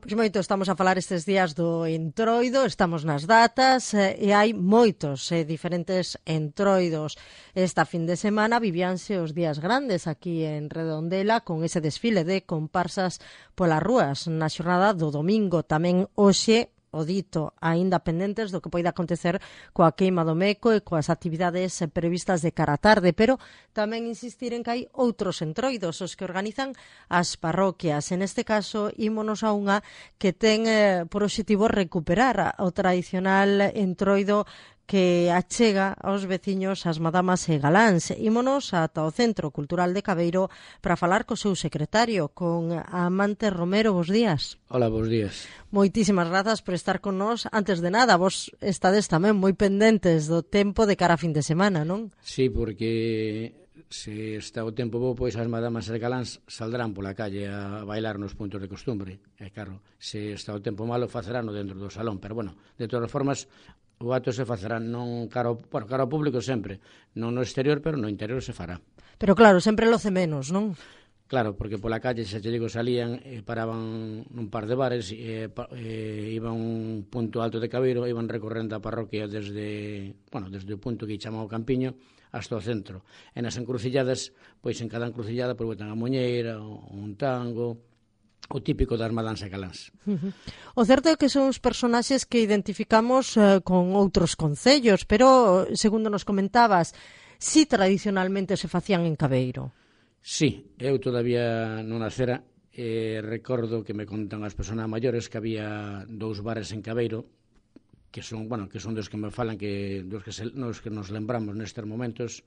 Pois moito, estamos a falar estes días do Entroido, estamos nas datas e hai moitos diferentes entroidos. Esta fin de semana vivíanse os días grandes aquí en Redondela con ese desfile de comparsas polas rúas. Na xornada do domingo tamén hoxe o dito, aínda pendentes do que poida acontecer coa queima do Meco e coas actividades previstas de cara a tarde, pero tamén insistir en que hai outros entroidos, os que organizan as parroquias. En este caso, ímonos a unha que ten por obxectivo recuperar o tradicional entroido que achega aos veciños as madamas e galáns. Ímonos ata o Centro Cultural de Cabeiro para falar co seu secretario, con Amante Romero. Bos días. Hola, bos días. Moitísimas grazas por estar con nós. Antes de nada, vos estades tamén moi pendentes do tempo de cara a fin de semana, non? Sí, porque se está o tempo bo, pois as madamas e galáns saldrán pola calle a bailar nos puntos de costumbre. E claro, se está o tempo malo, facerano dentro do salón. Pero bueno, de todas formas, o acto se facerá non cara ao público sempre, non no exterior, pero no interior se fará. Pero claro, sempre loce menos, non? Claro, porque pola calle, se te digo, salían e paraban nun par de bares iban a un punto alto de Cabeiro, iban recorrendo a parroquia desde o punto que chamamos Campiño hasta o centro. E nas encrucilladas, pois en cada encrucillada pois botan a moñeira, un tango, o típico das madáns e galáns. O certo é que son os personaxes que identificamos con outros concellos, pero, segundo nos comentabas, si tradicionalmente se facían en Cabeiro. Sí, eu todavía non nacera, recordo que me contan as persoas maiores que había 2 bares en Cabeiro, que son dos que me falan, dos que nos lembramos nestes momentos,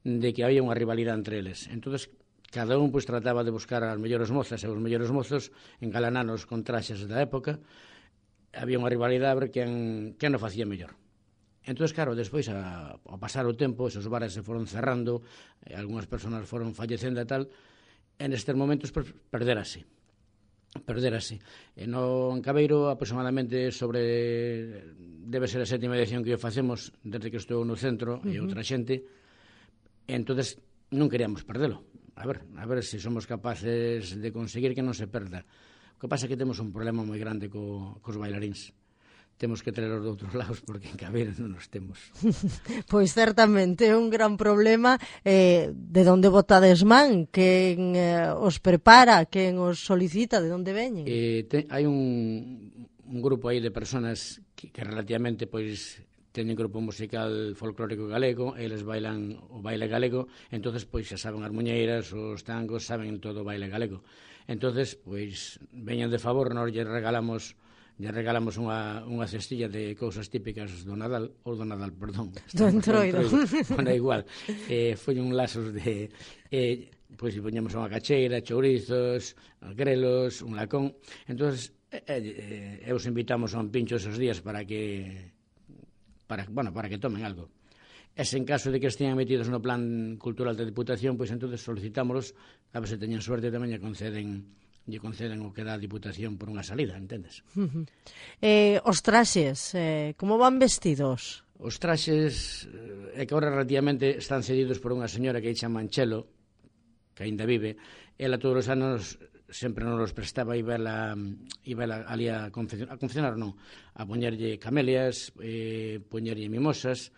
de que había unha rivalidade entre eles. Entonces, cada un pois trataba de buscar as mellores mozas e os mellores mozos, engalananos con traxes da época. Había unha rivalidade a ver quen o facía mellor. Entón, claro, despois, ao pasar o tempo, esos bares se foron cerrando, algunhas persoas foron fallecendo e tal, e nestes momentos perderase. En Cabeiro, aproximadamente debe ser a 7ª edición que o facemos desde que estou no centro e outra xente, e entón non queríamos perdelo. A ver se somos capaces de conseguir que non se perda. O que pasa é que temos un problema moi grande cos bailaríns. Temos que traerlos de outros lados porque en Cabeiro non os temos. Pois certamente é un gran problema. De onde botades man? Quen os prepara? Quen os solicita? De onde veñen? Hai un grupo aí de personas que relativamente pois teñen grupo musical folclórico galego, eles bailan o baile galego, entonces pois xa saben as muñeiras, os tangos, saben todo o baile galego. Entonces, pois veñan de favor, nós lle regalamos unha cestilla de cousas típicas do Nadal, ou do Nadal, perdón. Do Entroido. Bueno, igual. Foi un lasos de... pois poñemos unha cacheira, chourizos, grelos, un lacón. Entón, os invitamos a un pincho esos días para que tomen algo. E se en caso de que estean metidos no plan cultural da Diputación, pois entón solicitámoslos, a ver se teñen suerte tamén lle conceden o que dá a Diputación por unha salida, entendes? Os traxes, como van vestidos? Os traxes, é que agora relativamente están cedidos por unha señora que chama Anchelo, que aínda vive. Ela todos os anos sempre nos los prestaba e vela ali a confeccionar, non, a poñerlle camelias, poñerlle mimosas,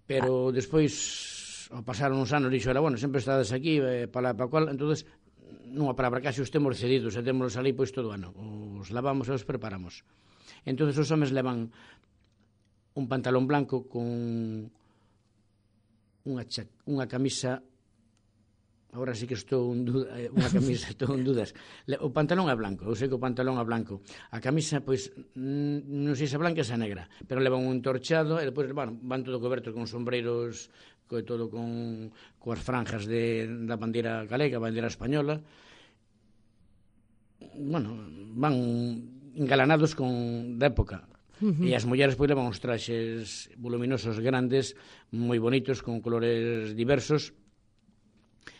pero despois, ao pasar uns anos, dixo, sempre estades aquí, para cual, entonces nunha palabra, casi os temos cedidos e temos ali pois todo o ano, os lavamos e os preparamos. Entón os homes levan un pantalón blanco con unha camisa, agora sí que estou en dudas, o pantalón é blanco, eu sei que o pantalón é blanco, a camisa pois non sei se é blanca ou se é negra, pero levan un entorchado e depois van todo cobertos con sombreiros, todo coas franjas da bandeira galega, bandeira española. Van engalanados da época. E as mulleres pois levan uns traxes voluminosos grandes, moi bonitos, con colores diversos,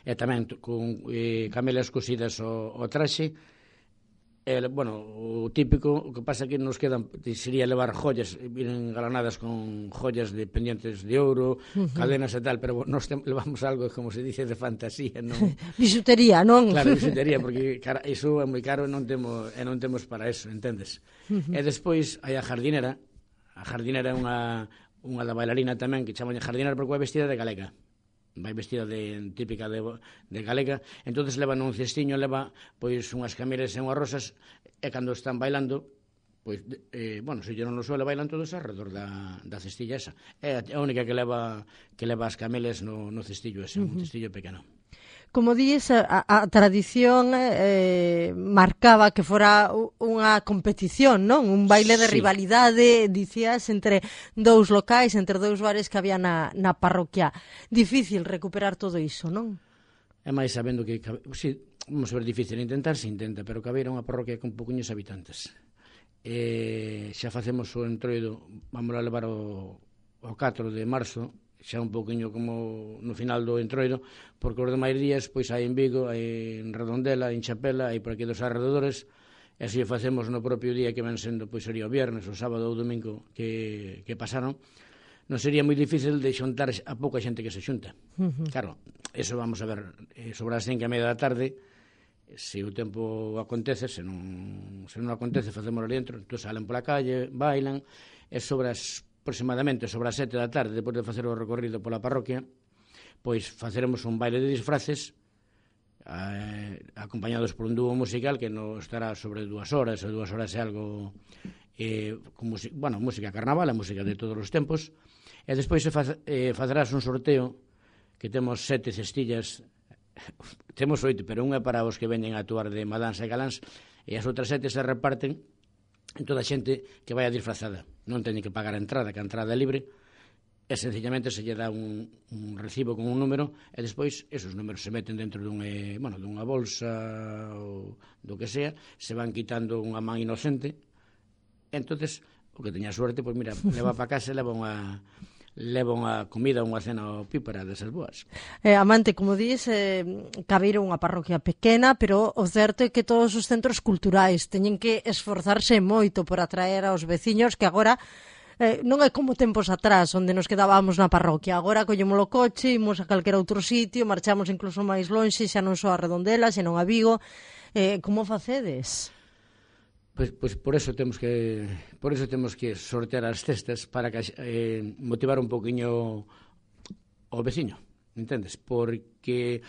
e tamén con camelias cosidas ao traxe, Bueno, o típico, o que pasa que nos quedan, sería levar joyas, vienen galanadas con joyas de pendientes de ouro, cadenas e tal, pero nos levamos algo, como se dice, de fantasía, non? Bisutería, non? Claro, bisutería, porque iso é moi caro e non temos para eso, entendes? E despois hai a jardinera é unha da bailarina tamén, que chaman jardinera porque vai vestida de galega. Vai vestida típica de galega, entonces leva nun cestiño, leva pois unhas camelas e unhas rosas, e cando están bailando, pois, bueno, se llenon no suelo, bailan todos alrededor da cestilla esa. É a única que leva as camelas no cestillo ese, un cestillo pequeno. Como dices, a tradición marcaba que fora unha competición, non? Un baile de rivalidade, dicías, entre dous locais, entre dous bares que había na parroquia. Difícil recuperar todo iso, non? É máis sabendo que, sí, vamos a ver, difícil intentar, se intenta, pero Cabeira é unha parroquia con pouquiños habitantes. Xa facemos o entroido, vamos a levar o 4 de marzo, xa un poquinho como no final do entroido, porque os demais días pois hai en Vigo, hai en Redondela, en Chapela, hai por aquí dos arredores, e así o facemos no propio día que ven sendo, pois sería o viernes, o sábado ou o domingo que pasaron. Non sería moi difícil de xuntar a pouca xente que se xunta. Claro, eso vamos a ver, sobre as 5:30 da tarde, se o tempo acontece, se non acontece, facemos ali dentro, entón salen pola calle, bailan, e sobre aproximadamente sobre as 7 da tarde, depois de facer o recorrido pola parroquia, pois faceremos un baile de disfraces acompañados por un dúo musical que nos estará sobre 2 horas, e 2 horas é algo con música carnaval, a música de todos os tempos, e despois facerás un sorteo que temos 7 cestillas, temos 8, pero unha para os que veñen a actuar de madáns e galáns, e as outras 7 se reparten en toda a xente que vai a disfrazada. Non teñen que pagar a entrada, que a entrada é libre, e sencillamente se lle dá un recibo con un número, e despois esos números se meten dentro dunha bolsa ou do que sea, se van quitando unha man inocente, e entonces o que teña suerte, pois mira, leva para casa e leva unha comida, unha cena opípara desas boas. Amante, como dis, Cabeiro é unha parroquia pequena, pero o certo é que todos os centros culturais teñen que esforzarse moito por atraer aos veciños, que agora non é como tempos atrás, onde nos quedábamos na parroquia. Agora collemos o coche, imos a calquera outro sitio, marchamos incluso máis lonxe, xa non só a Redondela, senón a Vigo. Como facedes? Pois por eso temos que sortear as cestas para que motivar un poquinho o veciño, entendes? Porque,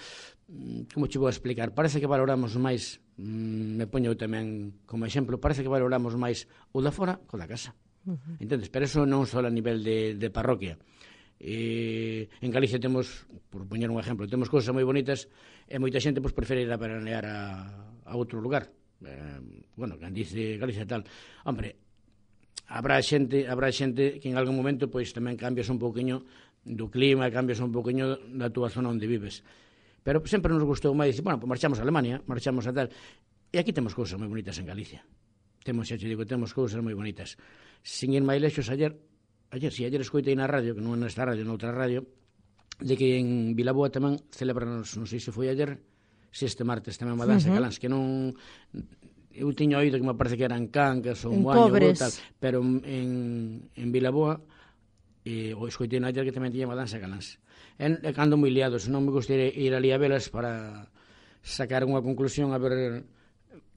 como che vou a explicar, parece que valoramos máis, me poño tamén como exemplo, parece que valoramos máis o da fora co da casa, entendes? Pero eso non só a nivel de parroquia. En Galicia temos, por poñer un exemplo, temos cousas moi bonitas e moita xente prefere ir a veranear a outro lugar. Cando dice Galicia tal, hombre, habrá xente que en algún momento pois tamén cambias un pouquiño do clima, cambias un pouquiño da túa zona onde vives, pero sempre nos gustou máis dicir, bueno, pois marchamos a Alemania, marchamos a tal, e aquí temos cousas moi bonitas en Galicia, temos cousas moi bonitas. Sin ir máis lexos, ayer escoitei na radio, que non é nesta radio, noutra radio, de que en Vilaboa tamén celebran, non sei se foi ayer, este martes tamén madáns e galáns, que non, eu tiño oído que me parece que eran Cangas ou Moaño ou tal, pero en Vilaboa o escoitei na ayer que tamén tiña madáns e galáns. E cando moi liados, non me gustaría ir ali a velas para sacar unha conclusión, a ver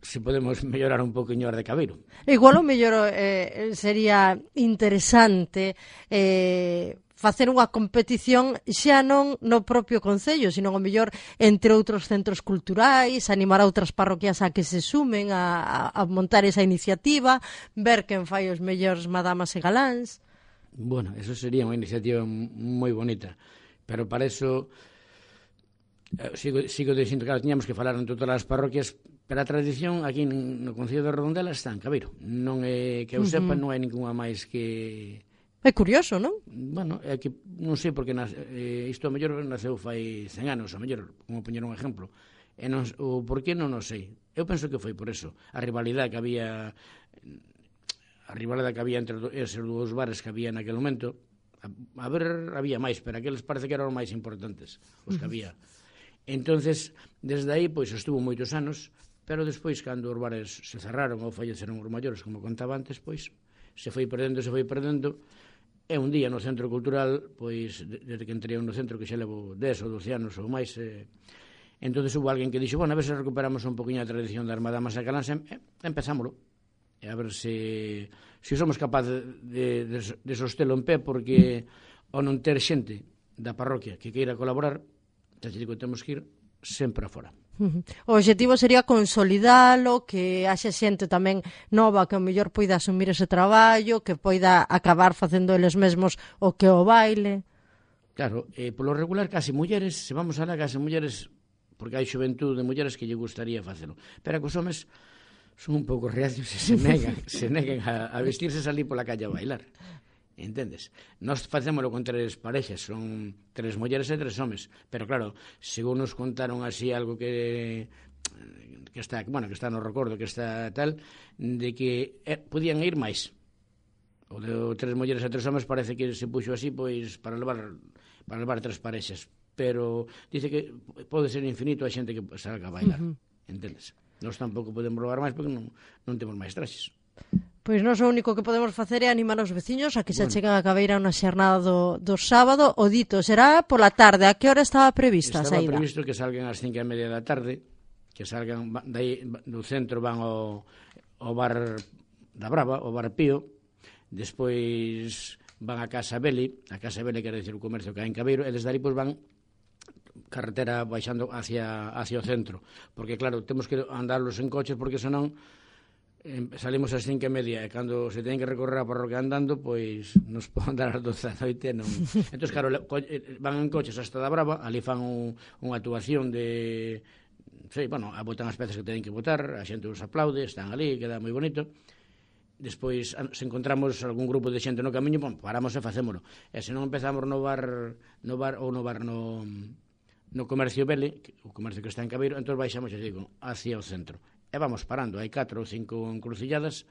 se podemos mellorar un poquinho as de Cabeiro. Igual o mellor sería interesante facer unha competición xa non no propio concello, sino o mellor entre outros centros culturais, animar a outras parroquias a que se sumen a montar esa iniciativa, ver quen fai os mellores madamas e galáns. Bueno, eso sería unha iniciativa moi bonita, pero para eso sigo dicindo, claro, tiñamos que falar entre todas as parroquias, pero a tradición aquí no Concello de Redondela está en Cabeiro, non é que eu sepa, non hai ningunha máis que... É curioso, non? Bueno, é que non sei porque isto a mellor naceu fai 100 anos, a mellor, como poñer un exemplo. O porqué non o sei. Eu penso que foi por eso. A rivalidade que había entre esos dous bares que había naquele momento. A ver, había máis, pero aqueles parece que eran os máis importantes, os que había. Entonces, desde aí, pois, estuvo moitos anos, pero despois, cando os bares se cerraron ou falleceron os maiores, como contaba antes, pois se foi perdendo, e un día no Centro Cultural, pois, desde que entrei no centro, que xa levo 10 ou 12 anos ou máis, entonces hubo alguén que dixo, bueno, a ver se recuperamos un poquinho a tradición das madamas a Calanse, empezámoslo, e a ver se somos capaces de sostelo en pé, porque ao non ter xente da parroquia que queira colaborar, xa te digo, temos que ir sempre afora. O obxectivo sería consolidalo, que haxe xente tamén nova que ao mellor poida asumir ese traballo, que poida acabar facendo eles mesmos o que o baile. Claro, polo regular case mulleres, se vamos alá case mulleres, porque hai xuventude de mulleres que lle gustaría facelo, pero que os homes son un pouco reacios e se negan a vestirse e salir pola calle a bailar. Entendes? Nós facémolo con 3 parexas, son 3 mulleres e 3 homes, pero claro, según nos contaron así algo que está, bueno, que está no recordo, que está tal, de que podían ir máis. O de 3 mulleres e 3 homes parece que se puxo así, pois para levar 3 parexas, pero dice que pode ser infinito a xente que salga a bailar. Entendes? Nós tampouco podemos robar máis porque non temos máis traxes. Pois nós o único que podemos facer é animar os veciños a que se chegan a Cabeira na xornada do sábado. O dito será pola tarde. A que hora estaba prevista a saída? Estaba previsto que salgan ás 5:30 da tarde, que salgan dai do centro, van ao bar da Brava, ao bar Pío, despois van a Casa Beli, quer decir o comercio que hai en Cabeiro, e desde ali pois van carretera baixando hacia o centro, porque claro, temos que andarlos en coches, porque senón salimos ás 5:30 e cando se ten que recorrer a parroquia andando, pois nos poden dar as 12 da noite, non. Entón, claro, van en coches hasta da Brava, ali fan unha actuación de... Sí, bueno, botan as peces que teñen que botar, a xente os aplaude, están ali, queda moi bonito. Despois, se encontramos algún grupo de xente no camiño, bon, paramos e facémolo. E se non empezamos no comercio Bele, o comercio que está en Cabeiro, entón baixamos, xa digo, hacia o centro. E vamos parando, hai 4 ou 5 encrucilladas,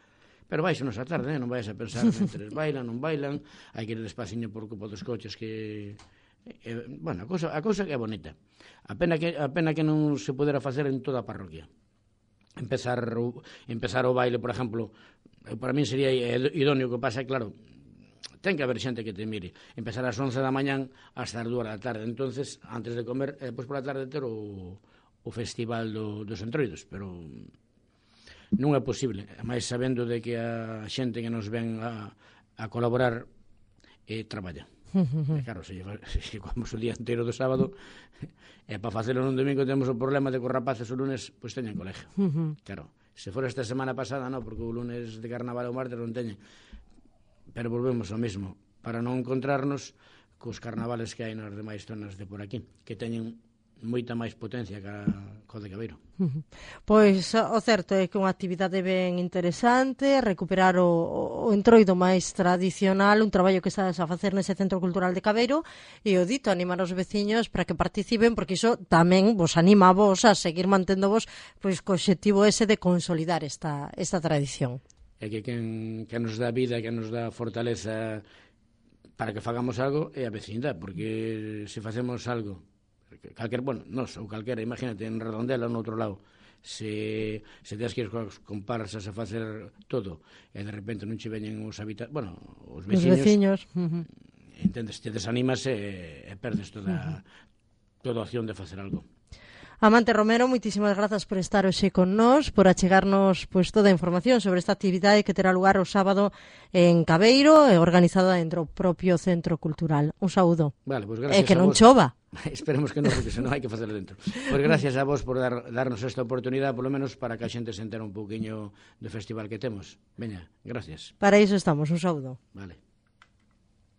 pero baixanos a tarde, non vais a pensar entre bailan, non bailan, hai que ir despaciño por culpa dos coches que... bueno, a cousa que é bonita. A pena que non se pudera facer en toda a parroquia. Empezar o baile, por exemplo, para mí sería idóneo, que pasa, claro, ten que haber xente que te mire. Empezar ás 11 da mañán hasta as 2 da tarde, entonces, antes de comer, e depois por a tarde ter o festival dos entroidos, pero non é posible, máis sabendo de que a xente que nos ven a colaborar traballa. Claro, se vamos o día inteiro do sábado, e para facelo nun domingo temos o problema de que os rapaces o lunes pois teñen colegio. Claro, se fora esta semana pasada non, porque o lunes de carnaval ou martes non teñen, pero volvemos ao mesmo, para non encontrarnos cos carnavales que hai nas demais zonas de por aquí, que teñen moita máis potencia que o de Cabeiro. Pois o certo é que unha actividade ben interesante, recuperar o entroido máis tradicional, un traballo que estás a facer nese Centro Cultural de Cabeiro, e o dito, animar os veciños para que participen, porque iso tamén vos anima a vos a seguir manténdovos pois co obxectivo ese de consolidar esta tradición. É que quen nos dá vida, que nos dá fortaleza para que fagamos algo é a vecindade, porque se facemos algo nos ou calquera, imagínate, en Redondela ou no outro lado, se tens que ir cos comparsas a facer todo e de repente non che veñen os veciños, entendes, te desanimas e perdes toda a opción de facer algo. Amante Romero, moitísimas grazas por estar hoxe con nós, por achegarnos pois toda a información sobre esta actividade que terá lugar o sábado en Cabeiro, organizada dentro do propio Centro Cultural. Un saúdo. Vale, pues gracias. E que non chova. Esperemos que non, porque senón hai que facelo dentro. Pois gracias a vos por darnos esta oportunidade, polo menos para que a xente se entere un pouquiño do festival que temos. Veña, gracias. Para iso estamos, un saúdo. Vale.